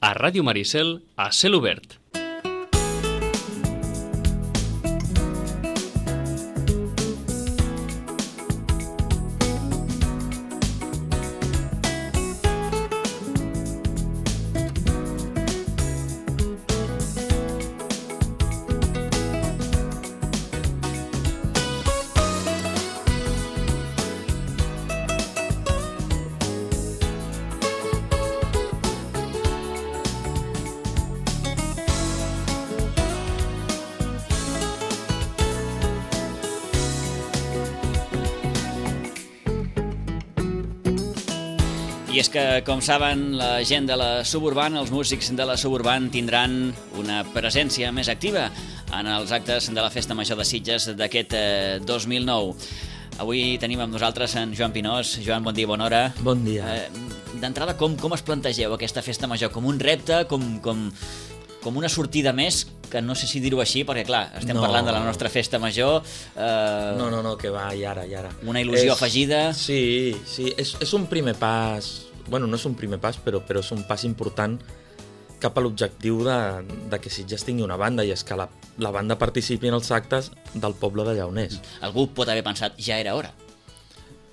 a Ràdio Maricel, a Cel Obert. I és que, com saben, la gent de la Suburban, els músics de la Suburban tindran una presència més activa en els actes de la Festa Major de Sitges d'aquest 2009. Avui tenim amb nosaltres en Joan Pinós. Joan, bon dia, bona hora. Bon dia. D'entrada, com es plantegeu aquesta Festa Major? Com un repte, com una sortida més, que no sé si dir-ho així, perquè clar, estem parlant de la nostra Festa Major. No, que va, i ara. Una il·lusió afegida. Sí, és un primer pas. Bueno, no és un primer pas, però és un pas important cap a l'objectiu de que Sitges tingui una banda, i és que la banda participi en els actes del poble de Lleoners. Algú pot haver pensat, ja era hora.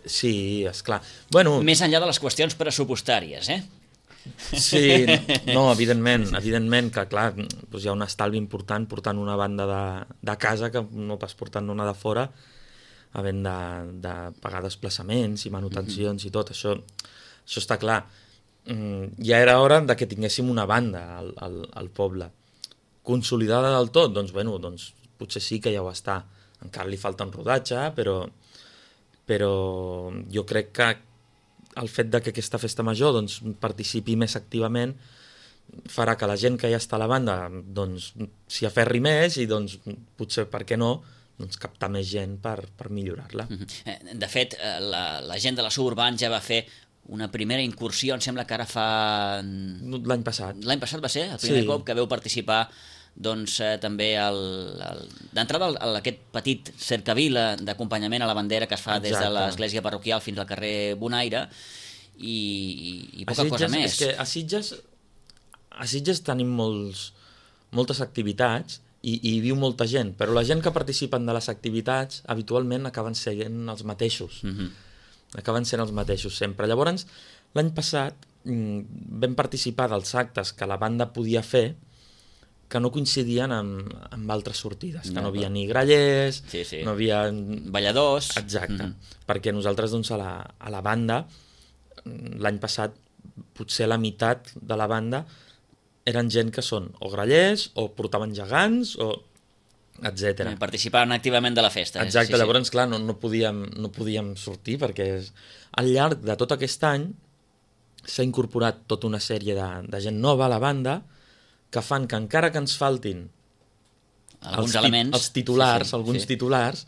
Sí, esclar. Bueno, més enllà de les qüestions pressupostàries, Sí, no, evidentment que, clar, doncs hi ha un estalvi important portant una banda de casa que no pas portant una de fora, havent de pagar desplaçaments i manutencions i tot, això està clar. Ja era hora de que tinguéssim una banda al poble. Consolidada del tot? Doncs potser sí que ja ho està. Encara li falta un rodatge, però jo crec que el fet de que aquesta festa major participi més activament farà que la gent que ja està a la banda s'hi aferri més i potser, per què no, captar més gent per millorar-la. De fet, la gent de la Suburban ja va fer una primera incursió, em sembla que ara fa... L'any passat. L'any passat va ser el primer cop que veu participar també d'entrada aquest petit cercavila d'acompanyament a la bandera que es fa des de l'església parroquial fins al carrer Bonaire i poca cosa més. És que a Sitges tenim moltes activitats i hi viu molta gent, però la gent que participen de les activitats habitualment acaben sent els mateixos. Acaben sent els mateixos sempre. Llavors, l'any passat vam participar dels actes que la banda podia fer que no coincidien amb altres sortides, que no havia ni grallers, no havia... balladors... Exacte, perquè nosaltres a la banda, l'any passat, potser la meitat de la banda eren gent que són o grallers, o portaven gegants, o etc. Participaven activament de la festa. Exacte, llavors, clar, no podíem sortir, perquè al llarg de tot aquest any s'ha incorporat tota una sèrie de gent nova a la banda, que fan que encara que ens faltin els titulars, titulars,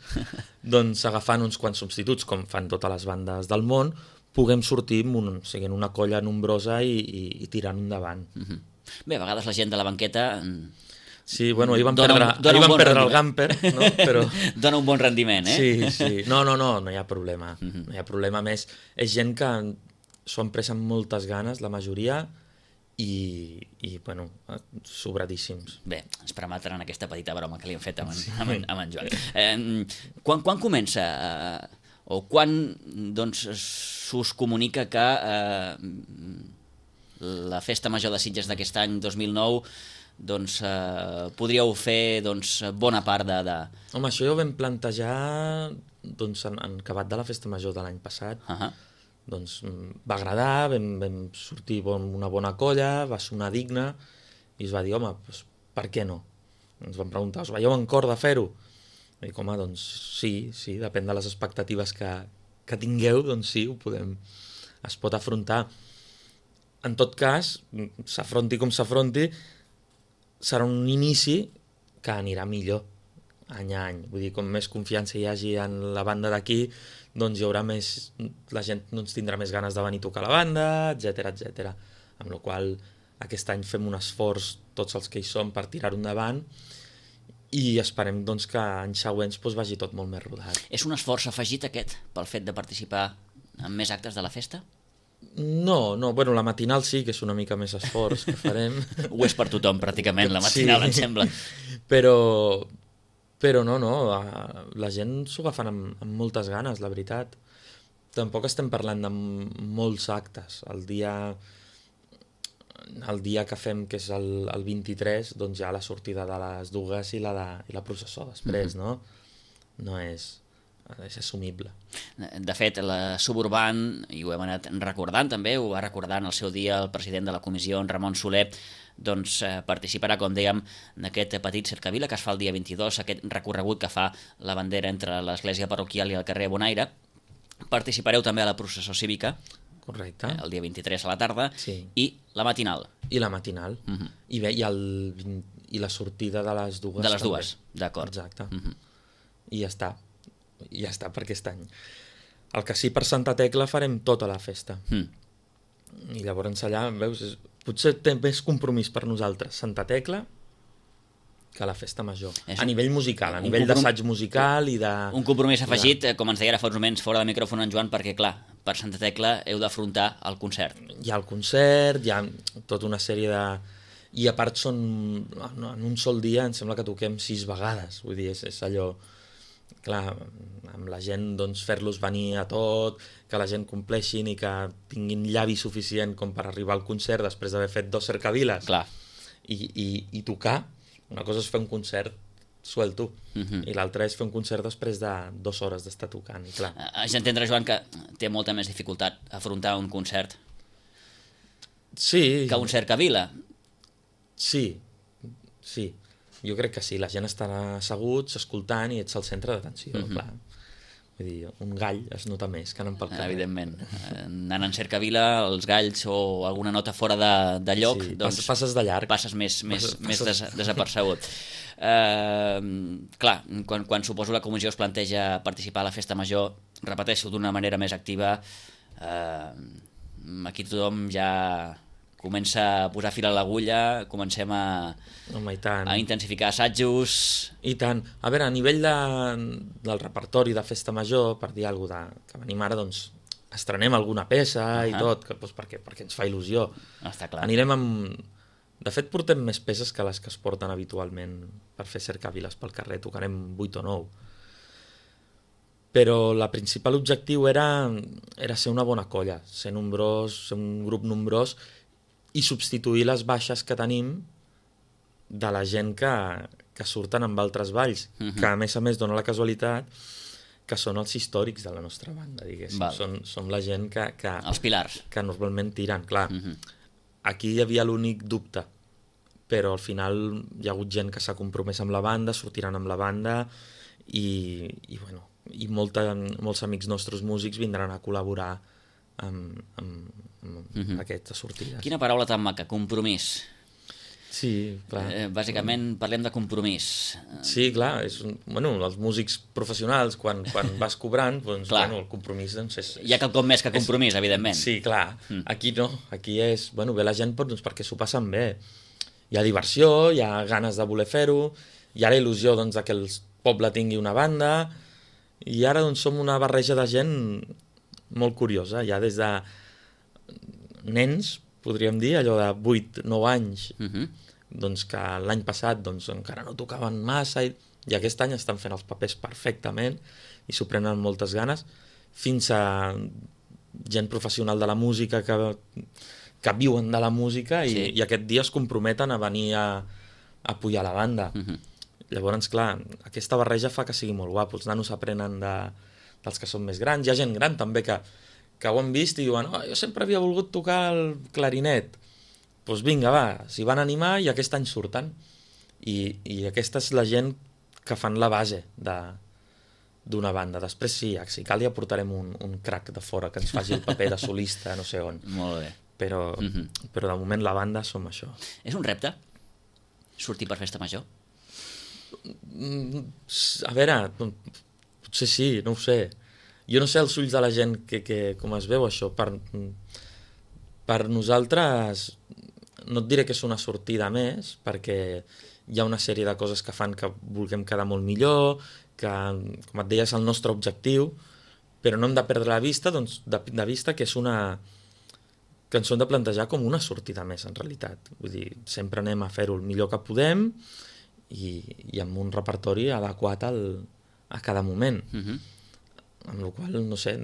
agafant uns quants substituts, com fan totes les bandes del món, puguem sortir siguent una colla nombrosa i tirant endavant. Bé, a vegades la gent de la banqueta... Sí, bueno, ahir van perdre el Gamper, no? Però... Dona un bon rendiment, Sí. No hi ha problema. No hi ha problema més. És gent que s'ho han pres amb moltes ganes, la majoria, i sobradíssims. Bé, ens permetran aquesta petita broma que li hem fet amb en Joan. Quan comença o quan s'us comunica que la Festa Major de Sitges d'aquest any 2009 podríeu fer bona part de... Home, això ja ho vam plantejar en acabat de la Festa Major de l'any passat. Va agradar, vam sortir una bona colla, va sonar digne, i es va dir, home, per què no? Ens van preguntar, us veieu en cor de fer-ho? I dic, home, sí, depèn de les expectatives que tingueu, sí, es pot afrontar. En tot cas, s'afronti com s'afronti, serà un inici que anirà millor any a any. Vull dir, com més confiança hi hagi en la banda d'aquí, hi haurà més... La gent tindrà més ganes de venir a tocar la banda, etc. Amb la qual aquest any fem un esforç, tots els que hi som, per tirar-ho endavant, i esperem que anys següents vagi tot molt més rodat. És un esforç afegit aquest, pel fet de participar en més actes de la festa? No, bueno, la matinal sí, que és una mica més esforç que farem. Ho és per tothom, pràcticament, la matinal, em sembla. Però no, la gent s'ho agafen amb moltes ganes, la veritat. Tampoc estem parlant de molts actes. El dia que fem, que és el 23, doncs ja la sortida de les dues i la processó després, no? No és assumible. De fet, la Suburban, i ho hem anat recordant també, ho va recordar en el seu dia el president de la comissió, en Ramon Soler, doncs participarà, com dèiem, d'aquest petit cercavila que es fa el dia 22, aquest recorregut que fa la bandera entre l'església parroquial i el carrer Bonaire. Participareu també a la processó cívica, correcte, el dia 23 a la tarda, sí. I la matinal. I la matinal. I bé, i la sortida de les dues. De les també. dues, d'acord. Exacte. I ja està per aquest any. El que sí, per Santa Tecla farem tota la festa. I llavors allà, veus, potser té més compromís per nosaltres Santa Tecla que la festa major. A nivell musical, a nivell d'assaig musical i de... Un compromís afegit, com ens deia ara fa uns moments fora de micròfon en Joan, perquè clar, per Santa Tecla heu d'afrontar el concert. Hi ha el concert, hi ha tota una sèrie de... I a part són... En un sol dia em sembla que toquem 6 vegades. Vull dir, és allò... Clar, amb la gent doncs, fer-los venir a tot, que la gent compleixin i que tinguin llavi suficient com per arribar al concert després d'haver fet 2 cercaviles. Clar. I tocar. Una cosa és fer un concert suelto i l'altra és fer un concert després de 2 hores d'estar tocant. I clar. Haig d'entendre, Joan, que té molta més dificultat afrontar un concert que un cercavila. Sí. Jo crec que sí, la gent estarà asseguts, escoltant i ets al centre d'atenció, clar. Vull dir, un gall es nota més que anant pel carrer. Evidentment. Anant en cercavila, els galls o alguna nota fora de lloc, sí, doncs passes de llarg. Passes més desapercebut. Clar, quan suposo la comissió es planteja participar a la festa major, repeteixo, d'una manera més activa, aquí tothom ja comença a posar fil a l'agulla, comencem a intensificar assajos... I tant. A veure, a nivell del repertori de festa major, per dir alguna cosa que venim ara, doncs estrenem alguna peça i tot, perquè ens fa il·lusió. Està clar. Anirem amb... De fet, portem més peces que les que es porten habitualment per fer cercaviles pel carrer. Tocarem 8 o 9. Però el principal objectiu era ser una bona colla, ser nombrós, ser un grup nombrós, i substituir les baixes que tenim de la gent que surten amb altres balls, que a més dona la casualitat que són els històrics de la nostra banda, diguéssim. Som la gent que... Els pilars. Que normalment tiren, clar. Aquí hi havia l'únic dubte, però al final hi ha hagut gent que s'ha compromès amb la banda, sortiran amb la banda i molts amics nostres músics vindran a col·laborar amb aquesta sortida. Quina paraula tan maca, compromís. Sí, clar. Bàsicament parlem de compromís. Sí, clar, els músics professionals quan vas cobrant, doncs, el compromís és... Hi ha quelcom més que compromís, evidentment. Sí, clar. Aquí no, aquí és... Ve la gent perquè s'ho passen bé. Hi ha diversió, hi ha ganes de voler fer-ho, hi ha la il·lusió doncs, que el poble tingui una banda, i ara doncs, som una barreja de gent molt curiosa, ja des de nens, podríem dir, allò de 8-9 anys, doncs que l'any passat doncs, encara no tocaven massa i aquest any estan fent els papers perfectament i s'ho prenen amb moltes ganes, fins a gent professional de la música que viuen de la música i aquest dia es comprometen a venir a pujar la banda. Llavors, clar, aquesta barreja fa que sigui molt guapo. Els nanos aprenen dels que són més grans. Hi ha gent gran també que ho han vist i diuen jo sempre havia volgut tocar el clarinet. Doncs vinga, va, s'hi van animar i aquest any surten. I aquesta és la gent que fan la base d'una banda. Després sí, si cal ja portarem un crac de fora que ens faci el paper de solista, no sé on. Molt bé. Però de moment la banda som això. És un repte? Sortir per festa major? A veure, potser sí, no ho sé. Jo no sé els ulls de la gent com es veu això. Per nosaltres no et diré que és una sortida més, perquè hi ha una sèrie de coses que fan que vulguem quedar molt millor, que, com et deia, és el nostre objectiu, però no hem de perdre de vista que és una que ens ho hem de plantejar com una sortida més, en realitat. Vull dir, sempre anem a fer-ho el millor que podem i amb un repertori adequat a cada moment. Amb la qual cosa, no sé,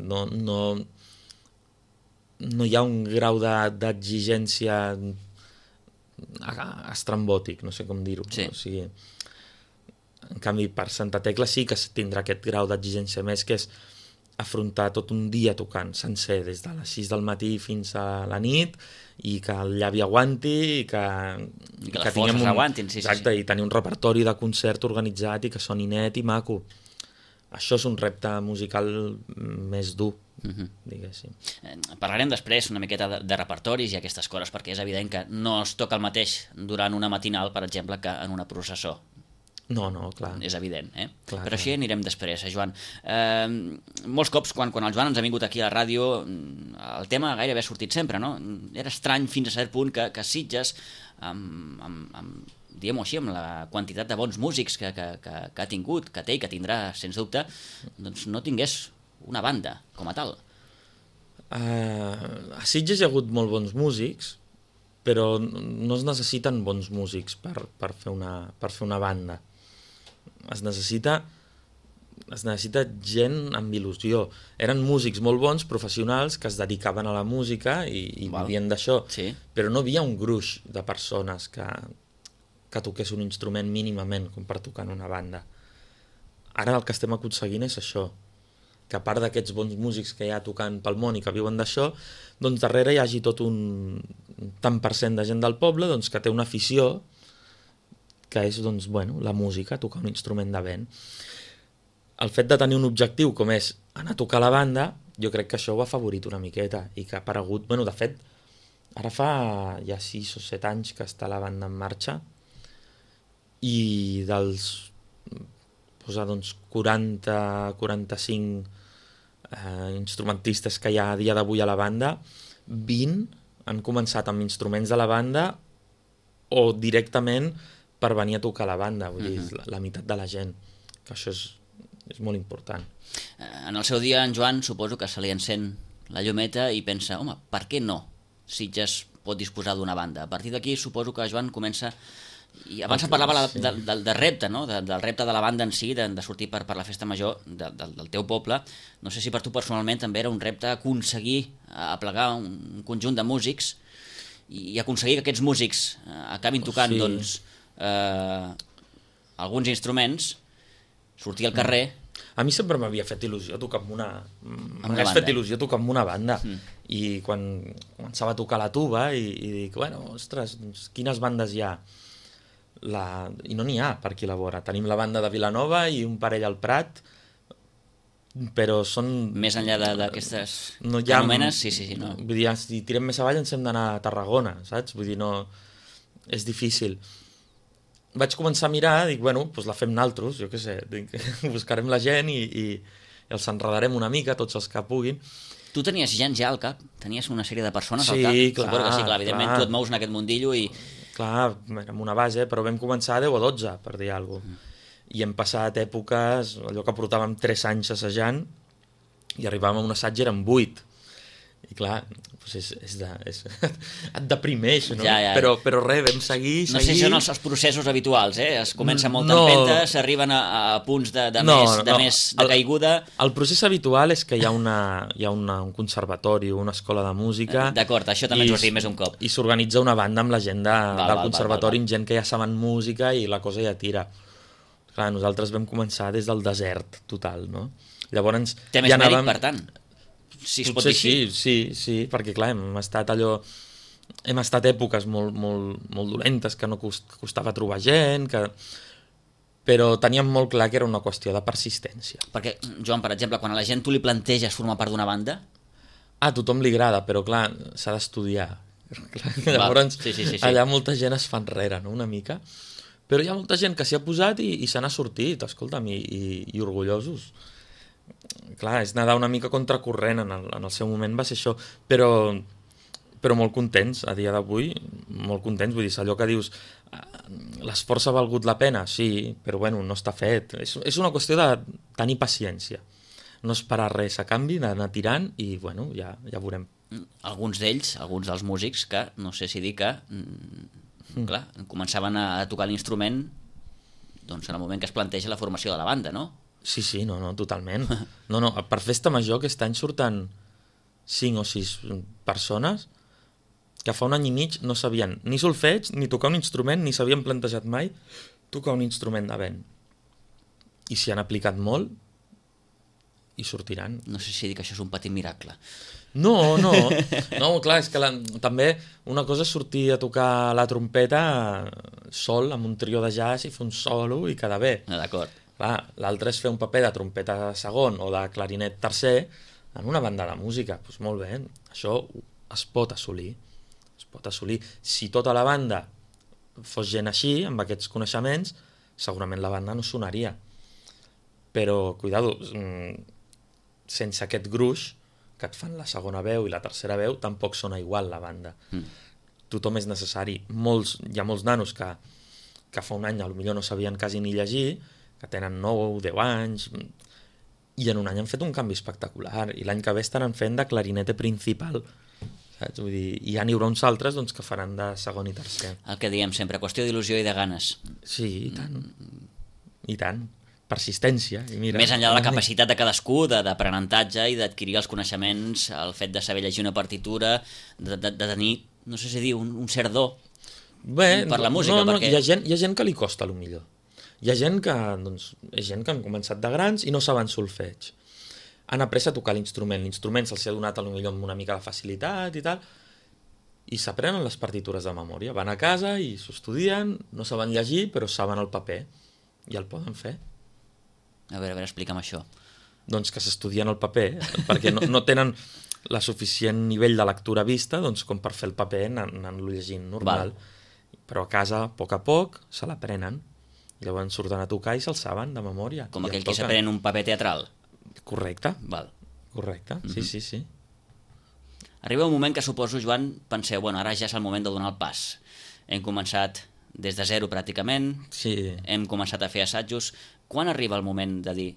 no hi ha un grau d'exigència estrambòtic, no sé com dir-ho. Sí. O sigui, en canvi, per Santa Tecla sí que tindrà aquest grau d'exigència més, que és afrontar tot un dia tocant sencer, des de les 6 del matí fins a la nit, i que el llavi aguanti, i que les forces aguantin, sí. Exacte, i tenir un repertori de concert organitzat i que soni net i maco. Això és un repte musical més dur, diguéssim. Parlarem després una miqueta de repertoris i aquestes coses, perquè és evident que no es toca el mateix durant una matinal, per exemple, que en una processó. No, clar. És evident, Clar, però així anirem després, Joan. Molts cops, quan el Joan ens ha vingut aquí a la ràdio, el tema gairebé ha sortit sempre, no? Era estrany fins a cert punt que Sitges, diguem-ho així, amb la quantitat de bons músics que ha tingut, que té i que tindrà, sens dubte, doncs no tingués una banda com a tal. A Sitges hi ha hagut molt bons músics, però no es necessiten bons músics per fer una banda. Es necessita gent amb il·lusió. Eren músics molt bons, professionals, que es dedicaven a la música i vivien d'això, sí. Però no havia un gruix de persones que toqués un instrument mínimament com per tocar en una banda. Ara el que estem aconseguint és això, que a part d'aquests bons músics que hi ha tocant pel món i que viuen d'això, doncs darrere hi hagi tot un tant per cent de gent del poble doncs, que té una afició que és doncs, la música, tocar un instrument de vent. El fet de tenir un objectiu com és anar a tocar a la banda, jo crec que això ho ha favorit una miqueta i que ha aparegut... de fet, ara fa ja 6 o 7 anys que està la banda en marxa i dels 40-45 instrumentistes que hi ha a dia d'avui a la banda, 20 han començat amb instruments de la banda o directament per venir a tocar a la banda, vull dir, la meitat de la gent, que això és molt important. En el seu dia, en Joan, suposo que se li encén la llumeta i pensa, home, per què no Sitges pot disposar d'una banda? A partir d'aquí suposo que Joan comença... I abans parlava del repte, no? Del repte de la banda en si, de sortir per la festa major del teu poble. No sé si per tu personalment també era un repte aconseguir aplegar un conjunt de músics i aconseguir que aquests músics acabin tocant alguns instruments, sortir al carrer... A mi sempre m'havia fet il·lusió tocar amb una... M'hagués fet il·lusió tocar amb una banda. I quan començava a tocar la tuba i dic, ostres, doncs, quines bandes hi ha? I no n'hi ha per aquí a la vora. Tenim la banda de Vilanova i un parell al Prat, però són... Més enllà d'aquestes anomenes, sí. No. Vull dir, si tirem més avall ens hem d'anar a Tarragona, saps? Vull dir, no... És difícil. Vaig començar a mirar, dic, doncs la fem naltros, jo què sé, dic, buscarem la gent i els enredarem una mica, tots els que puguin. Tu tenies gent ja al cap? Tenies una sèrie de persones al cap? Sí, clar. Evidentment tu et mous en aquest mundillo i... Clar, amb una base, però vam començar a 10 o 12, per dir alguna cosa. I hem passat èpoques, allò que portàvem 3 anys assajant, i arribàvem a un assaig i eren 8. I clar, doncs et deprimeix, no? Ja. Però res, vam seguir... No sé si són els processos habituals, es comença amb molta empenta, s'arriben a punts de més caiguda... El procés habitual és que hi ha un conservatori, una escola de música... D'acord, això també ens ho has dit més un cop. I s'organitza una banda amb la gent del conservatori, amb gent que ja saben música i la cosa ja tira. Clar, nosaltres vam començar des del desert total, no? Llavors... Té més mèrit, per tant? Si es pot dir així. Sí, perquè clar, hem estat èpoques molt dolentes, que no costava trobar gent, però teníem molt clar que era una qüestió de persistència. Perquè, Joan, per exemple, quan a la gent tu li planteges formar part d'una banda... A tothom li agrada, però clar, s'ha d'estudiar. Llavors, allà molta gent es fa enrere, no?, una mica. Però hi ha molta gent que s'hi ha posat i se n'ha sortit, escolta'm, i orgullosos. Clar, és nedar una mica contracorrent, en el seu moment va ser això, però molt contents, a dia d'avui, molt contents, vull dir, allò que dius, l'esforç ha valgut la pena, sí, però no està fet. És una qüestió de tenir paciència. no esperar res a canvi, anar tirant i, bueno, ja veurem. Alguns d'ells, alguns dels músics, que no sé si dir que clar, començaven a tocar l'instrument doncs en el moment que es planteja la formació de la banda, no? Sí, no, totalment. No, per Festa Major aquest any surten 5 o 6 persones que fa un any i mig no sabien ni solfeig, ni tocar un instrument, ni s'havien plantejat mai tocar un instrument de vent. I s'hi han aplicat molt i sortiran. No sé si dir que això és un petit miracle. No, clar, és que també una cosa és sortir a tocar la trompeta sol amb un trio de jazz i fer un solo i quedar bé. D'acord. L'altre és fer un paper de trompeta segon o de clarinet tercer en una banda de música. Doncs molt bé, això es pot assolir. Si tota la banda fos gent així, amb aquests coneixements, segurament la banda no sonaria. Però, cuidado, sense aquest gruix que et fan la segona veu i la tercera veu, tampoc sona igual la banda. Tothom és necessari. Hi ha molts nanos que fa un any potser no sabien quasi ni llegir, que tenen 9 o 10 anys, i en un any han fet un canvi espectacular, i l'any que ve estaran fent de clarinete principal. Saps? Vull dir, i ja n'hi haurà uns altres doncs, que faran de segon i tercer. El que diem sempre, qüestió d'il·lusió i de ganes. Sí, i tant. Persistència. I mira, més enllà de la capacitat de cadascú d'aprenentatge i d'adquirir els coneixements, el fet de saber llegir una partitura, de tenir, no sé si dir, un cert do per la música. Perquè... hi ha gent que li costa millor. Hi ha gent que, doncs, és gent que han començat de grans i no saben solfeig. Han après a tocar l'instrument. L'instrument se'ls ha donat potser amb una mica de facilitat i tal, i s'aprenen les partitures de memòria. Van a casa i s'ho estudien, no saben llegir, però saben el paper i el poden fer. A veure, explica'm això. Doncs que s'estudien el paper, perquè no tenen la suficient nivell de lectura vista doncs, com per fer el paper anant-lo llegint normal. Però a casa, a poc, se l'aprenen. I llavors surten a tocar i se'l saben de memòria. Com aquell que s'aprèn un paper teatral. Correcte. Val. Correcte, sí. Arriba un moment que suposo, Joan, penseu, bueno, ara ja és el moment de donar el pas. Hem començat des de zero pràcticament, hem començat a fer assajos. Quan arriba el moment de dir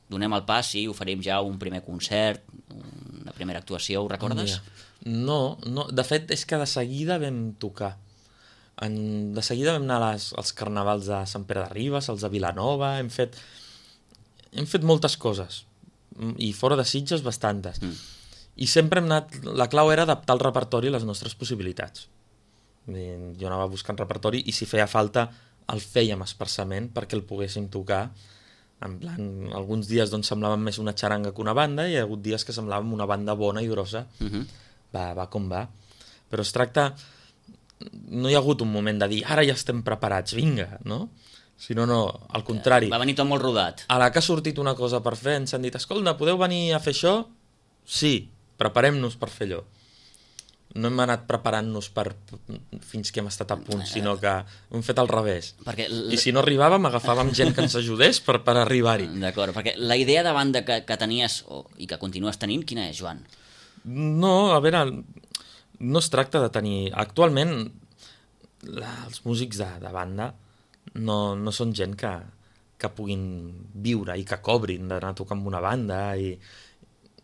donem el pas i oferim ja un primer concert, una primera actuació, ho recordes? No, de fet és que de seguida vam tocar. De seguida vam anar als carnavals de Sant Pere de Ribes, als de Vilanova, hem fet moltes coses, i fora de Sitges bastantes. I sempre hem anat, la clau era adaptar el repertori a les nostres possibilitats. Jo anava buscant repertori i si feia falta el fèiem expressament perquè el poguéssim tocar. En plan, alguns dies doncs, semblaven més una xaranga que una banda i hi ha hagut dies que semblàvem una banda bona i grossa. Va com va. Però es tracta... No hi ha hagut un moment de dir ara ja estem preparats, vinga, no? Sinó no, al contrari. Va venir tot molt rodat. A la que ha sortit una cosa per fer ens han dit, escolta, podeu venir a fer això? Sí, preparem-nos per fer allò. No hem anat preparant-nos fins que hem estat a punt, sinó que hem fet al revés. I si no arribàvem, agafàvem gent que ens ajudés per arribar-hi. D'acord, perquè la idea de banda que tenies i que continues tenint, quina és, Joan? No, a veure, no es tracta de tenir... Actualment, els músics de banda no són gent que puguin viure i que cobrin d'anar a tocar amb una banda i...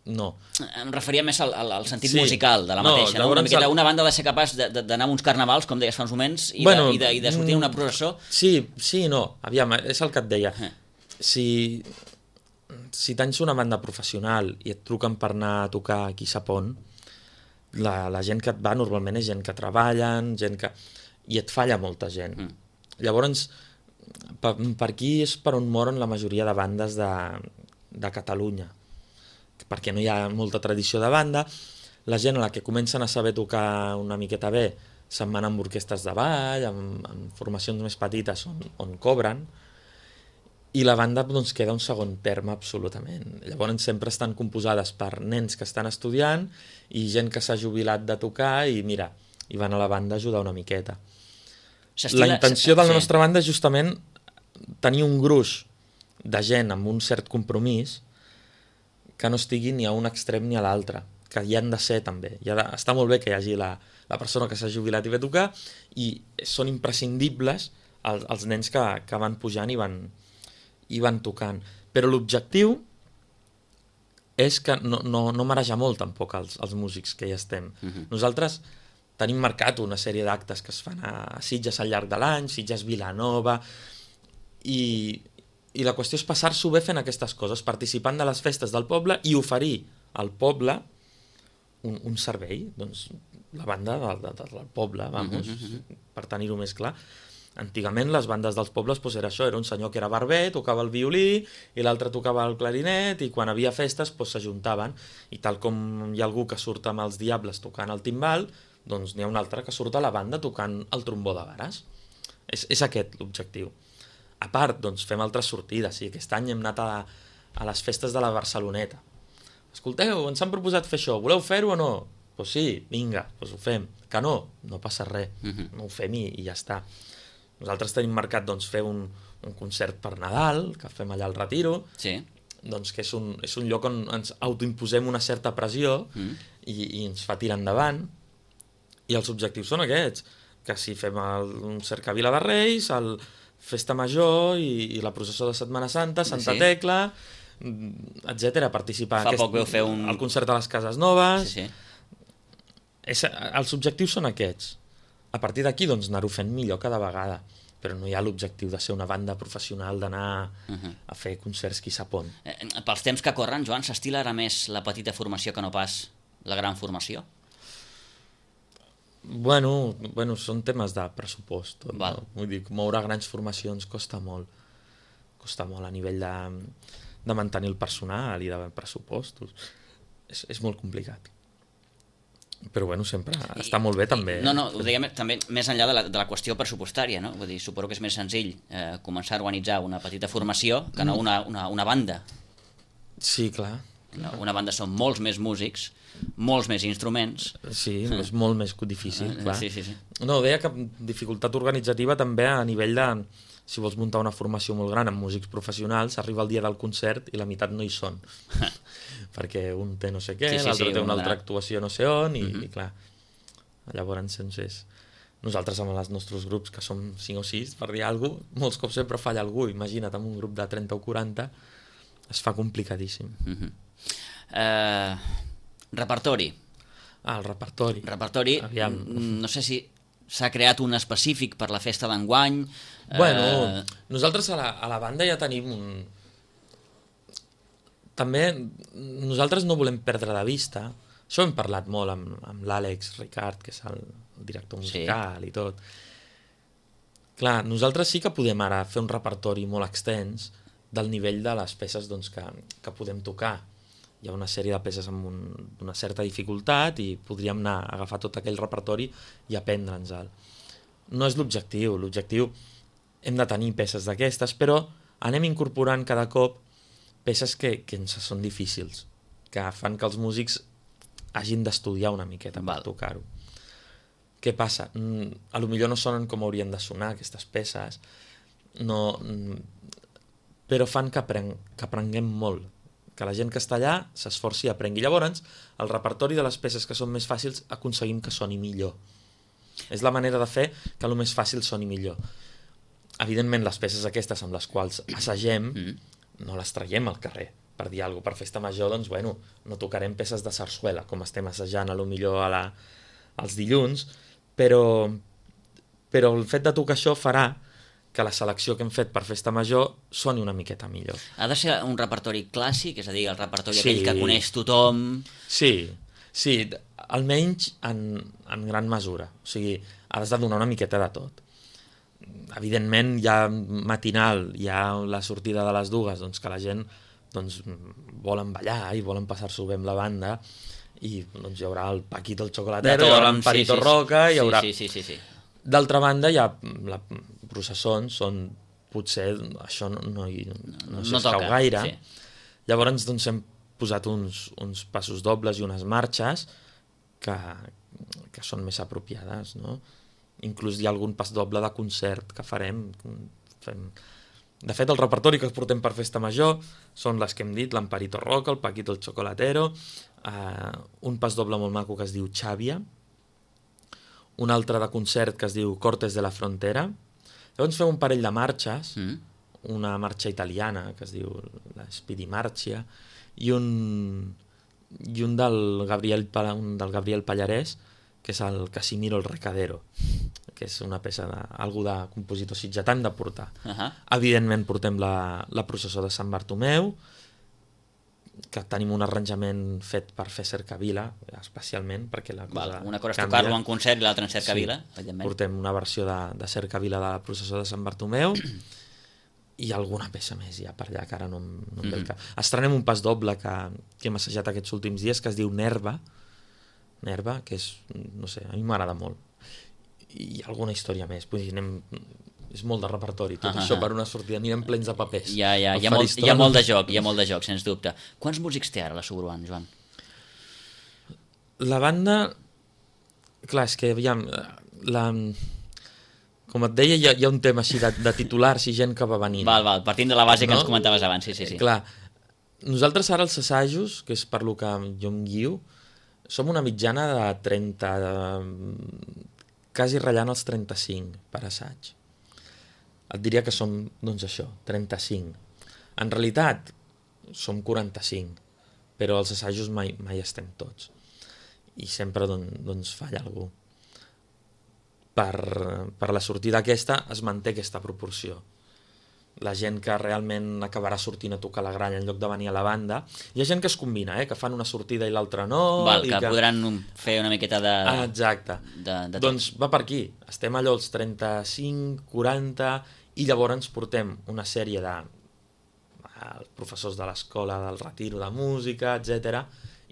No. Em referia més al sentit musical de la mateixa. No? Una banda ha de ser capaç d'anar a uns carnavals, com deies fa uns moments, i de sortir una processó. Sí, no. Aviam, és el que et deia. Si tens una banda professional i et truquen per anar a tocar aquí a Sa Pont, la gent que et va normalment és gent que treballen, i et falla molta gent. Llavors, per aquí és per on moren la majoria de bandes de Catalunya, perquè no hi ha molta tradició de banda. La gent a la que comencen a saber tocar una miqueta bé se'n van amb orquestres de ball, amb formacions més petites on cobren, i la banda doncs, queda un segon terme absolutament. Llavors sempre estan composades per nens que estan estudiant i gent que s'ha jubilat de tocar i mira, i van a la banda a ajudar una miqueta. La intenció de la nostra banda és justament tenir un gruix de gent amb un cert compromís que no estigui ni a un extrem ni a l'altre, que hi han de ser també. Està molt bé que hi hagi la persona que s'ha jubilat i ve a tocar, i són imprescindibles els nens que van pujant i van tocant. Però l'objectiu és que no mareja molt tampoc els músics que hi estem. Nosaltres tenim marcat una sèrie d'actes que es fan a Sitges al llarg de l'any, Sitges Vilanova, i la qüestió és passar-s'ho bé fent aquestes coses, participant de les festes del poble i oferir al poble un servei, doncs la banda del poble, vamos, per tenir-ho més clar. Antigament les bandes dels pobles doncs era això, era un senyor que era barber, tocava el violí i l'altre tocava el clarinet i quan havia festes s'ajuntaven i tal com hi ha algú que surt amb els Diables tocant el timbal, doncs n'hi ha un altre que surt a la banda tocant el trombó de vares. És aquest l'objectiu. A part, doncs fem altres sortides, i aquest any hem anat a les festes de la Barceloneta. Escolteu, ens han proposat fer això, voleu fer-ho o no? Doncs sí, vinga, doncs ho fem. Que no passa res, no ho fem i ja està. Nosaltres tenim marcat doncs, fer un concert per Nadal, que fem allà al Retiro, doncs, que és un lloc on ens autoimposem una certa pressió i ens fa tirar endavant. I els objectius són aquests, que si fem un cercavila de Reis, el Festa Major i la processó de Setmana Santa, Santa Tecla, etc. Participar al concert de les Cases Noves. Els objectius són aquests. A partir d'aquí, doncs, anar-ho fent millor cada vegada. Però no hi ha l'objectiu de ser una banda professional, d'anar a fer concerts qui sap on. Pels temps que corren, Joan, s'estila ara més la petita formació que no pas la gran formació? Bueno, són temes de pressupost. No? Vull dir, moure grans formacions costa molt. Costa molt a nivell de mantenir el personal i de pressupostos. És molt complicat. Però bueno, sempre està molt bé també. No, ho diguem també més enllà de la qüestió pressupostària, no? Vull dir, suposo que és més senzill començar a organitzar una petita formació que no una banda. Sí, clar. Una banda són molts més músics, molts més instruments. Sí, és molt més difícil, clar. Sí. No, deia que dificultat organitzativa també a nivell de... Si vols muntar una formació molt gran amb músics professionals, arriba el dia del concert i la meitat no hi són. Perquè un té no sé què, l'altre té una altra actuació no sé on, i clar, llavors nosaltres amb els nostres grups, que som 5 o 6, per dir alguna cosa, molts cops sempre falla algú. Imagina't, amb un grup de 30 o 40 es fa complicadíssim. Repertori. El repertori. Aviam. No sé si s'ha creat un específic per la festa d'enguany. Bueno, nosaltres a la banda ja tenim També nosaltres no volem perdre de vista, això hem parlat molt amb l'Àlex Ricard, que és el director musical i tot. Clar, nosaltres sí que podem ara fer un repertori molt extens del nivell de les peces doncs, que podem tocar. Hi ha una sèrie de peces amb una certa dificultat i podríem anar a agafar tot aquell repertori i aprendre'ns-el. No és l'objectiu. L'objectiu hem de tenir peces d'aquestes, però anem incorporant cada cop peces que ens són difícils, que fan que els músics hagin d'estudiar una miqueta per tocar-ho. Què passa? A lo millor no sonen com haurien de sonar aquestes peces, però fan que aprenguem molt, que la gent que està allà s'esforci i aprengui. Llavors, el repertori de les peces que són més fàcils aconseguim que soni millor. És la manera de fer que el més fàcil soni millor. Evidentment, les peces aquestes amb les quals assagem no les traiem al carrer. Per dir alguna cosa, per festa major, doncs, bueno, no tocarem peces de sarsuela, com estem assajant a lo millor als dilluns, però el fet de tocar això farà que la selecció que hem fet per festa major soni una miqueta millor. Ha de ser un repertori clàssic, és a dir, el repertori aquell que coneix tothom... Sí, almenys en gran mesura. O sigui, has de donar una miqueta de tot. Evidentment, hi ha matinal, hi ha la sortida de les dues, doncs que la gent volen ballar i volen passar-s'ho bé amb la banda, i doncs hi haurà el Paquito el Chocolatero, hi haurà en Parito Roca, hi haurà... Sí. D'altra banda, hi ha processons on potser això no s'escau gaire. Sí. Llavors doncs, hem posat uns passos dobles i unes marxes que són més apropiades, no? Inclús hi ha algun pas doble de concert que farem. De fet, el repertori que portem per festa major són les que hem dit, l'Amparito Roca, el Paquito el Chocolatero, un pas doble molt maco que es diu Xàbia, un altre de concert que es diu Cortes de la Frontera. Llavors fem un parell de marxes, una marxa italiana que es diu la Speedy Marcia, i un del Gabriel Pallarès, que és el Casimiro el Recadero, que és una peça d'algú de compositor sitgetà, hem de portar. Evidentment portem la processó de Sant Bartomeu, que tenim un arranjament fet per fer cercavila, especialment, perquè la cosa una cosa és tocar-lo en concert i l'altra en cercavila, evidentment. Portem una versió de cercavila de la processó de Sant Bartomeu i alguna peça més ja per allà, que ara no em ve el cap. Estrenem un pas doble que hem assajat aquests últims dies, que es diu Nerva, que és, no sé, a mi m'agrada molt. I alguna història més. És molt de repertori, tot això per una sortida. Anirem plens de papers. Hi ha molt de joc, sens dubte. Quants músics té ara la Suburban, Joan? La banda... Clar, és que, aviam, com et deia, hi ha un tema així de titulars i gent que va venint. Val, partint de la base que ens comentaves abans, sí. Clar, nosaltres ara els assajos, que és per lo que jo em guio, som una mitjana de 30... quasi ratllant els 35 per assaig. Et diria que som, doncs això, 35. En realitat, som 45, però als assajos mai estem tots. I sempre doncs falla algú. Per la sortida aquesta es manté aquesta proporció. La gent que realment acabarà sortint a tocar la gralla en lloc de venir a la banda. Hi ha gent que es combina, que fan una sortida i l'altra no. Que podran fer una miqueta de... Exacte. Doncs va per aquí. Estem allò als 35, 40, i llavors ens portem una sèrie de professors de l'escola del retiro de música, etc.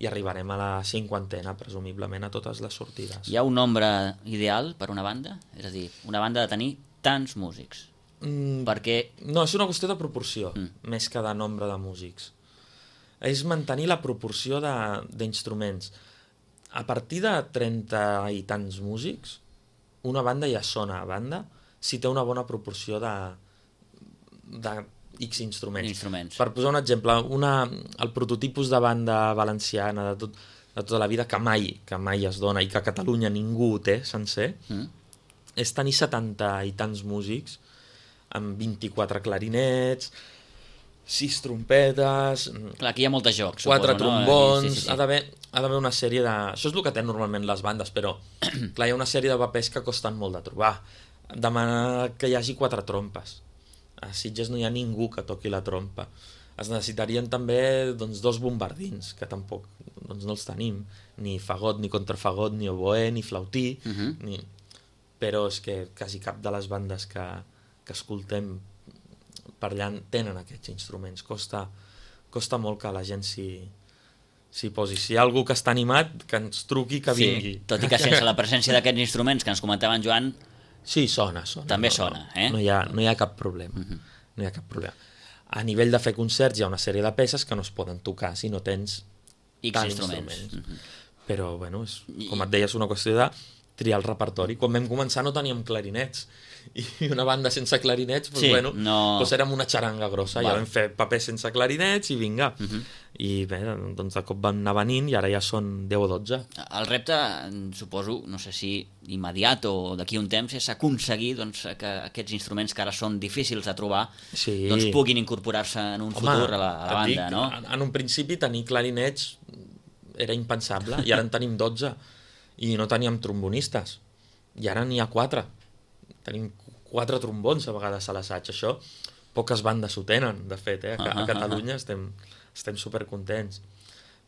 I arribarem a la 50ena, presumiblement, a totes les sortides. Hi ha un nombre ideal per una banda? És a dir, una banda de tenir tants músics. Perquè... No, és una qüestió de proporció, més que de nombre de músics. És mantenir la proporció d'instruments. A partir de 30 i tants músics, una banda ja sona a banda si té una bona proporció de X instruments. Per posar un exemple, el prototipus de banda valenciana de tota la vida, que mai es dona i que a Catalunya ningú ho té sencer, és tenir 70 i tants músics amb 24 clarinets, 6 trompetes... Clar, aquí hi ha molt de joc, 4 trombons... Sí. Ha d'haver una sèrie de... Això és el que tenen normalment les bandes, però clar, hi ha una sèrie de papers que costen molt de trobar. Demanar que hi hagi 4 trompes. A Sitges no hi ha ningú que toqui la trompa. Es necessitarien també 2 bombardins, que tampoc no els tenim. Ni fagot, ni contrafagot, ni oboè, ni flautí... Però és que quasi cap de les bandes que escoltem per allà tenen aquests instruments. Costa molt que la gent s'hi posi. Si hi ha algú que està animat, que ens truqui, que vingui. Tot i que sense la presència d'aquests instruments que ens comentava en Joan... Sí, sona. També sona, No hi ha cap problema. No hi ha cap problema. A nivell de fer concerts hi ha una sèrie de peces que no es poden tocar si no tens X instruments. Però, bueno, com et deia, és una qüestió de triar el repertori. Quan vam començar no teníem clarinets, i una banda sense clarinets, doncs érem una xaranga grossa. Ja vam fer papers sense clarinets i vinga. I bé, doncs de cop van anar venint i ara ja són 10 o 12. El repte, suposo, no sé si immediat o d'aquí un temps, és aconseguir que aquests instruments que ara són difícils de trobar puguin incorporar-se en un futur a la banda, no? En un principi tenir clarinets era impensable, i ara en tenim 12. I no teníem trombonistes. I ara n'hi ha 4. Tenim 4 trombons a vegades a l'assaig. Això poques bandes ho tenen, de fet. A Catalunya estem supercontents.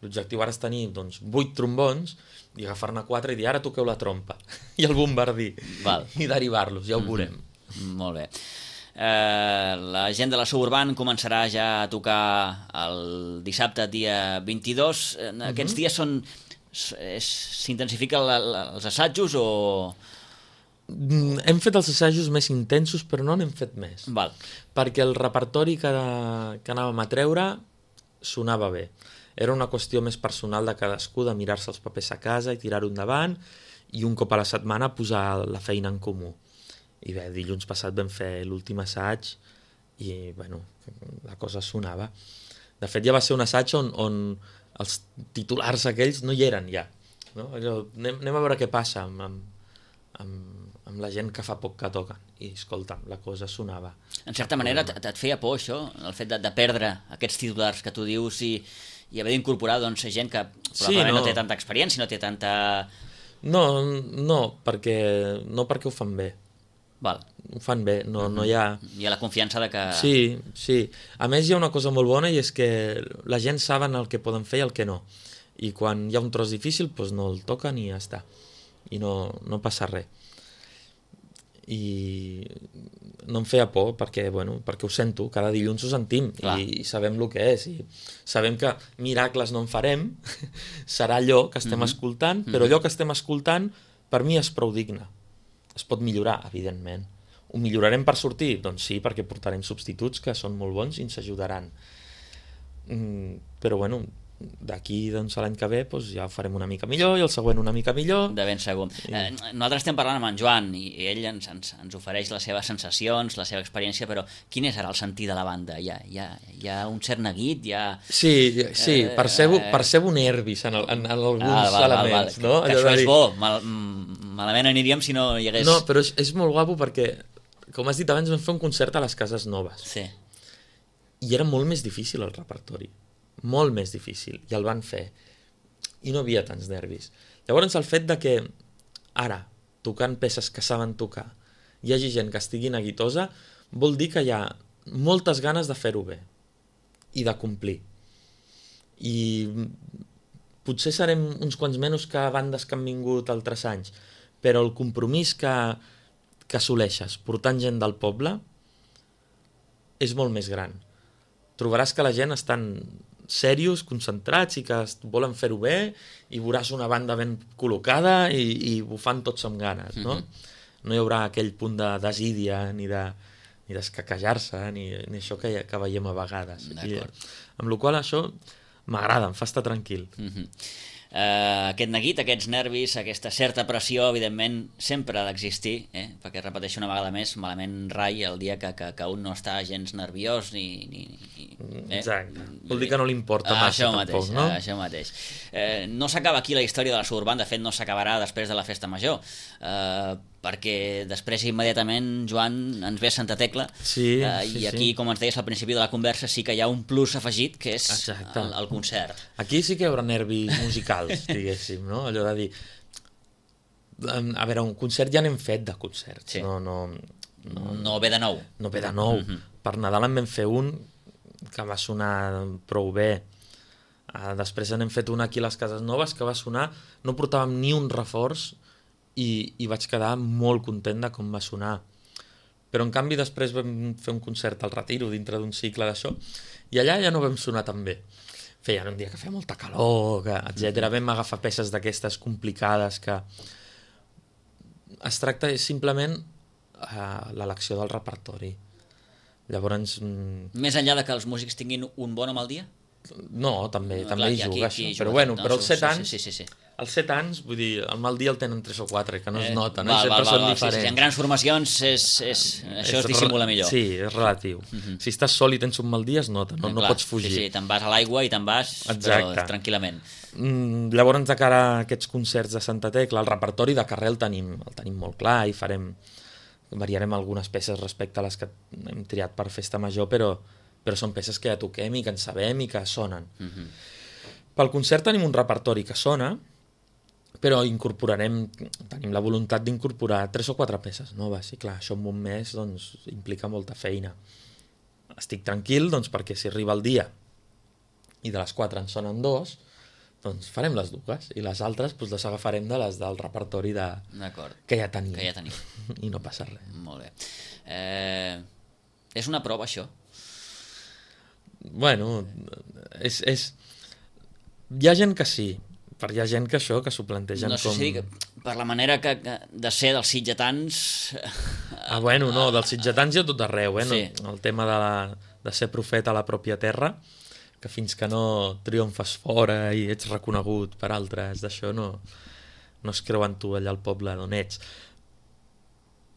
L'objectiu ara és tenir 8 trombons i agafar-ne 4 i dir ara toqueu la trompa i el bombardí i derivar-los, ja ho veurem. Molt bé. La gent de la Suburban començarà ja a tocar el dissabte, dia 22. Aquests dies s'intensifiquen els assajos o... Hem fet els assajos més intensos, però no n'hem fet més. Perquè el repertori que anàvem a treure sonava bé. Era una qüestió més personal de cadascú, de mirar-se els papers a casa i tirar-ho endavant, i un cop a la setmana posar la feina en comú. I bé, dilluns passat vam fer l'últim assaig i, bueno, la cosa sonava. De fet, ja va ser un assaig on els titulars aquells no hi eren ja. No? Anem a veure què passa amb la gent que fa poc que toquen. I, escolta, la cosa sonava. En certa manera, et feia por això, el fet de perdre aquests titulars que tu dius i i haver d'incorporar doncs, gent que probablement no té tanta experiència, no té tanta... No perquè ho fan bé. Val. Ho fan bé, no hi ha... Hi ha la confiança de que... Sí. A més, hi ha una cosa molt bona i és que la gent saben el que poden fer i el que no. I quan hi ha un tros difícil, doncs no el toquen i ja està. I no passa res. I no em feia por perquè ho sento, cada dilluns ho sentim i sabem el que és. I sabem que miracles no en farem, serà allò que estem escoltant, però allò que estem escoltant per mi és prou digne. Es pot millorar, evidentment. Ho millorarem per sortir? Doncs sí, perquè portarem substituts que són molt bons i ens ajudaran. Però d'aquí a l'any que ve ja ho farem una mica millor i el següent una mica millor. De ben segur. Nosaltres estem parlant amb en Joan i ell ens ofereix les seves sensacions, la seva experiència, però quin és ara el sentir de la banda? Hi ha un cert neguit? Sí, percebo nervis en alguns elements. No? Que això és bo, malament aniríem si no hi hagués... No, però és molt guapo perquè, com has dit abans, vam fer un concert a les Cases Noves. Sí. I era molt més difícil el repertori. Molt més difícil, i el van fer i no havia tants nervis. Llavors el fet de que ara, tocant peces que saben tocar, hi hagi gent que estigui neguitosa, vol dir que hi ha moltes ganes de fer-ho bé i de complir. I potser serem uns quants menys que bandes que han vingut altres anys, però el compromís que assoleixes portant gent del poble és molt més gran. Trobaràs que la gent estan serios, concentrats i que volen fer-ho bé i veuràs una banda ben col·locada i ho fan tots amb ganes, no? No hi haurà aquell punt de desídia ni d'escaquejar-se ni això que veiem a vegades. Amb la qual cosa això m'agrada, em fa estar tranquil. Aquest neguit, aquests nervis, aquesta certa pressió, evidentment, sempre ha d'existir, perquè repeteixo una vegada més, malament rai el dia que un no està gens nerviós Exacte. Vol dir que no li importa massa tampoc, no? Això mateix. No s'acaba aquí la història de la Suburban, de fet no s'acabarà després de la Festa Major, perquè després immediatament, Joan, ens ve Santa Tecla, i aquí, com ens deies al principi de la conversa, sí que hi ha un plus afegit, que és el concert. Aquí sí que hi haurà nervis musicals, diguéssim, no? Allò de dir... A veure, un concert ja n'hem fet de concerts. No ve de nou. No ve de nou. Per Nadal en vam fer un que va sonar prou bé. Després n'hem fet un aquí a les Cases Noves que va sonar... No portàvem ni un reforç i vaig quedar molt content de com va sonar. Però en canvi després vam fer un concert al Retiro dintre d'un cicle d'això i allà ja no vam sonar tan bé. Feien un dia que feia molta calor, etc. Vam agafar peces d'aquestes complicades que es tracta simplement l'elecció del repertori. Llavors... Més enllà de que els músics tinguin un bon o mal dia? No, també hi juga això. Però als 7 anys... Als 7 anys, vull dir, el mal dia el tenen 3 o 4, que no es nota, no? Sempre són diferents. En grans formacions això es dissimula millor. Sí, és relatiu. Si estàs sol i tens un mal dia es nota, no pots fugir. Sí, te'n vas a l'aigua i te'n vas tranquil·lament. Llavors, de cara a aquests concerts de Santa Tecla, el repertori de carrer el tenim molt clar i variarem algunes peces respecte a les que hem triat per Festa Major, però són peces que ja toquem i que en sabem i que sonen. Pel concert tenim un repertori que sona, però tenim la voluntat d'incorporar 3 o 4 peces noves. I clar, això en un mes implica molta feina. Estic tranquil perquè si arriba el dia i de les 4 en sonen 2, doncs farem les dues i les altres les agafarem de les del repertori que ja tenim. I no passa res. Molt bé. És una prova, això? Bueno, hi ha gent que sí, però hi ha gent que s'ho plantegen com... No sé si per la manera de ser dels sitgetans... dels sitgetans hi ha tot arreu, Sí. El tema de ser profeta a la pròpia terra, que fins que no triomfes fora i ets reconegut per altres d'això, no es creuen tu allà al poble d'on ets.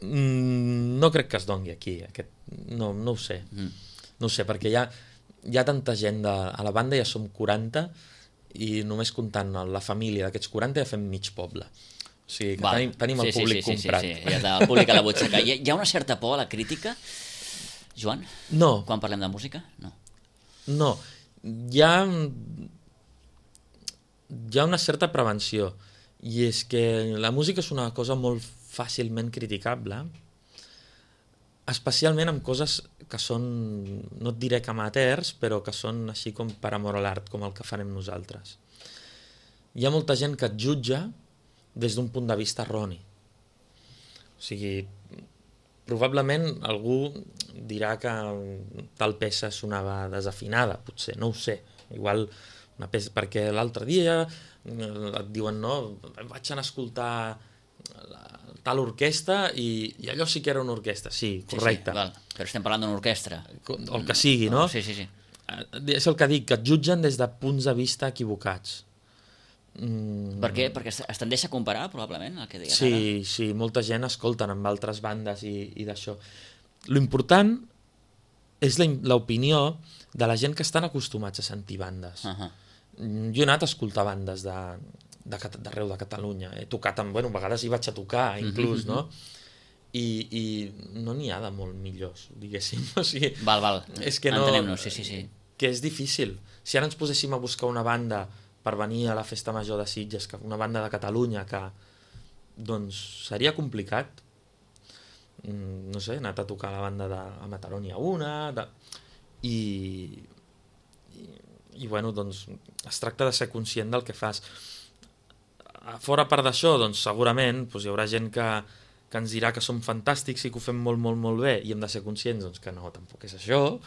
No crec que es doni aquí, no ho sé. No ho sé, perquè hi ha tanta gent a la banda, ja som 40, i només comptant la família d'aquests 40 ja fem mig poble. O sigui que tenim el públic comprat. Sí, ja està el públic a la butxaca. Hi ha una certa por a la crítica, Joan? No. Quan parlem de música? No. No. Hi ha hi ha una certa prevenció, i és que la música és una cosa molt fàcilment criticable, especialment amb coses que són, no et diré que amateurs, però que són així com per amor a l'art, com el que farem nosaltres. Hi ha molta gent que et jutja des d'un punt de vista erroni. O sigui, probablement algú dirà que tal peça sonava desafinada, potser, no ho sé. Igual una peça, perquè l'altre dia et diuen, no, vaig anar a escoltar tal orquestra i allò sí que era una orquestra. Sí, correcte. Sí, val. Però estem parlant d'una orquestra. O el que sigui, no? Sí. És el que dic, que et jutgen des de punts de vista equivocats. Per què? Perquè es tendeix a comparar, probablement, el que digues sí, ara? Sí, molta gent escolten amb altres bandes i d'això. L'important és l'opinió de la gent que estan acostumats a sentir bandes. Jo he anat a escoltar bandes d'arreu de Catalunya. He tocat, a vegades hi vaig a tocar, inclús, no? I no n'hi ha de molt millors, diguéssim. O sigui, val. És que no, entenem-nos, sí. Que és difícil. Si ara ens poséssim a buscar una banda per venir a la Festa Major de Sitges, una banda de Catalunya, que doncs seria complicat. No sé, he anat a tocar la banda a Mataró n'hi ha una, i bueno, doncs es tracta de ser conscient del que fas. Fora part d'això, doncs segurament hi haurà gent que ens dirà que som fantàstics i que ho fem molt, molt, molt bé, i hem de ser conscients doncs, que no, tampoc és això.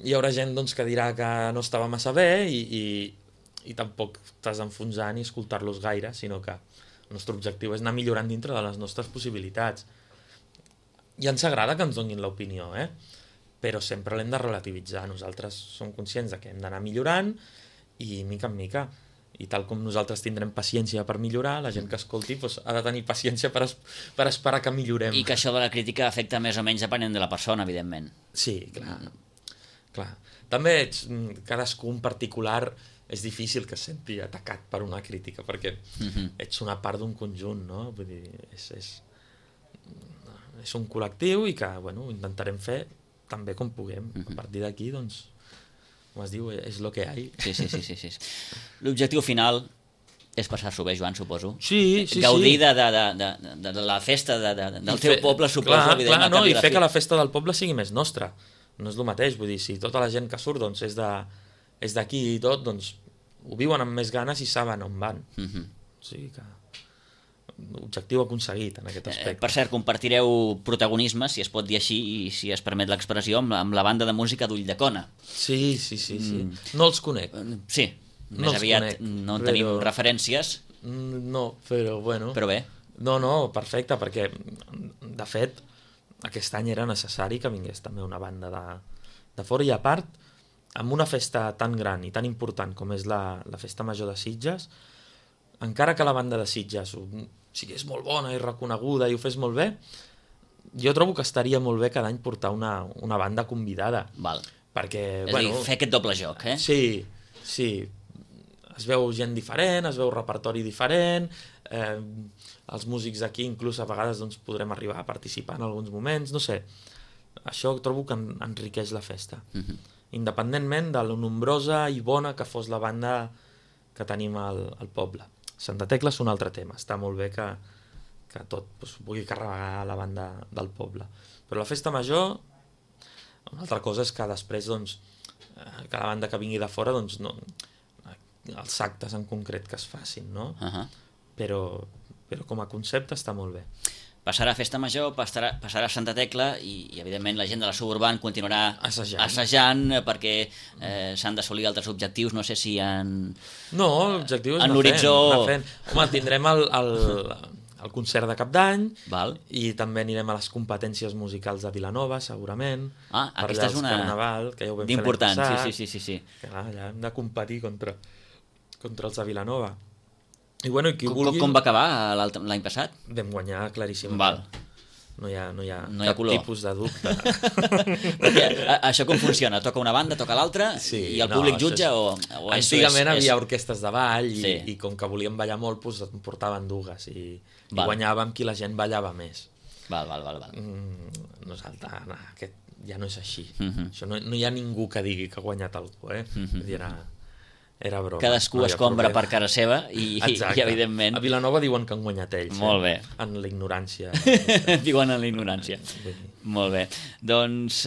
Hi haurà gent doncs, que dirà que no estava massa bé i tampoc t'has d'enfonsar ni escoltar-los gaire, sinó que el nostre objectiu és anar millorant dintre de les nostres possibilitats. I ens agrada que ens donin l'opinió, però sempre l'hem de relativitzar. Nosaltres som conscients de que hem d'anar millorant i mica en mica. I tal com nosaltres tindrem paciència per millorar, la gent que escolti ha de tenir paciència per esperar que millorem. I que això de la crítica afecta més o menys depenent de la persona, evidentment. Sí, clar. També cadascú en particular és difícil que es senti atacat per una crítica, perquè ets una part d'un conjunt, no? Vull dir, és un col·lectiu i que, intentarem fer tan bé com puguem. A partir d'aquí, doncs, com es diu, és lo que hi ha. Sí. L'objectiu final és passar-s'ho bé, Joan, suposo. Sí. Gaudir de la festa del teu poble, suposo. Clar, i fer que la festa del poble sigui més nostra. No és el mateix, vull dir, si tota la gent que surt doncs, és d'aquí i tot, doncs ho viuen amb més ganes i saben on van. O sigui que objectiu aconseguit en aquest aspecte. Per cert, compartireu protagonisme, si es pot dir així, i si es permet l'expressió, amb la banda de música d'Ulldecona. Sí. No els conec. Sí, més aviat no en tenim referències. No, però bueno. Però bé. No, perfecte, perquè de fet aquest any era necessari que vingués també una banda de fora, i a part, amb una festa tan gran i tan important com és la Festa Major de Sitges, encara que la banda de Sitges sigués molt bona i reconeguda i ho fes molt bé, jo trobo que estaria molt bé cada any portar una banda convidada. Val. Perquè, és a dir, fer aquest doble joc, Sí. Es veu gent diferent, es veu repertori diferent, els músics d'aquí inclús a vegades doncs, podrem arribar a participar en alguns moments, no sé. Això trobo que enriqueix la festa. Independentment de la nombrosa i bona que fos la banda que tenim al poble. Santa Tecla és un altre tema, està molt bé que tot pugui carregar la banda del poble. Però la festa major, una altra cosa és que després doncs, que la banda que vingui de fora, doncs, no, els actes en concret que es facin, no? Però com a concepte està molt bé. Passarà Festa Major, passarà Santa Tecla i evidentment la gent de la Suburban continuarà assajant perquè s'han d'assolir altres objectius. No sé si No, l'objectiu és anar fent. Home, tindrem el concert de Cap d'Any. Val. I també anirem a les competències musicals de Vilanova, segurament. Aquesta és una Carnaval, que ja ho vam d'important, fer l'any passat. Sí. Clar, ja hem de competir contra els de Vilanova. I bueno, qui vulgui... Com va acabar l'any passat? Vam guanyar claríssimament. Val. No hi ha cap tipus de dubte. Perquè això com funciona? Toca una banda, toca l'altra, i el públic jutja o antigament havia orquestres de ball i com que volíem ballar molt doncs en portaven dues i guanyàvem qui la gent ballava més. Val. Nosaltres, aquest ja no és així. Això no hi ha ningú que digui que ha guanyat algú, era broma. Cadascú es compra per cara seva i evidentment... A Vilanova diuen que han guanyat ells. Molt bé. En la ignorància. Diuen en la ignorància. Molt bé. Doncs,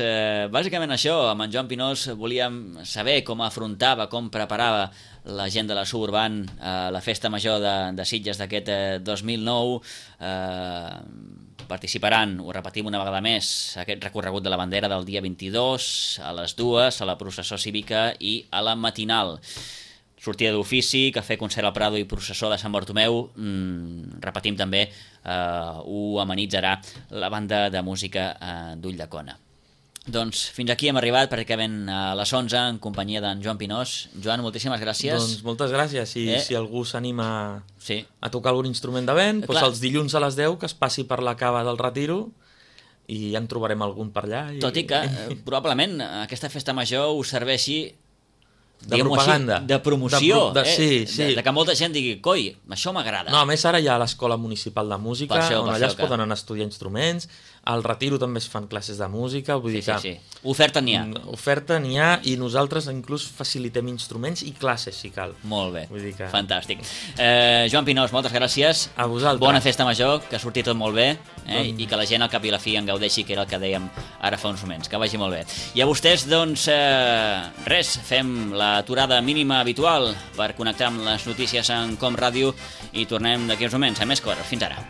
bàsicament això, amb en Joan Pinós volíem saber com afrontava, com preparava la gent de la Suburban la festa major de Sitges d'aquest 2009. Participaran, ho repetim una vegada més, aquest recorregut de la bandera del dia 22, a les 2, a la processó cívica i a la matinal. Sortida d'ofici, cafè, concert al Prado i processó de Sant Bartomeu. Repetim també, ho amenitzarà la banda de música d'Ulldecona. Doncs fins aquí hem arribat, pràcticament a les 11, en companyia d'en Joan Pinós. Joan, moltíssimes gràcies. Doncs moltes gràcies. I si algú s'anima a tocar algun instrument de vent, doncs els dilluns a les 10 que es passi per la cava del Retiro i ja en trobarem algun per allà. Tot i que probablement aquesta festa major us serveixi de propaganda. Així, de promoció. Sí. De que molta gent digui, coi, això m'agrada. No, a més ara hi ha l'Escola Municipal de Música, on allà es poden anar a estudiar instruments. Al Retiro també es fan classes de música. Vull dir que oferta n'hi ha. Oferta n'hi ha i nosaltres inclús facilitem instruments i classes, si cal. Molt bé, vull dir que... fantàstic. Joan Pinós, moltes gràcies. A vosaltres. Bona festa major, que surti tot molt bé i que la gent al cap i a la fi en gaudeixi, que era el que dèiem ara fa uns moments. Que vagi molt bé. I a vostès, doncs, res, fem l'aturada mínima habitual per connectar amb les notícies en Com Ràdio i tornem d'aquí uns moments a més coses. Fins ara.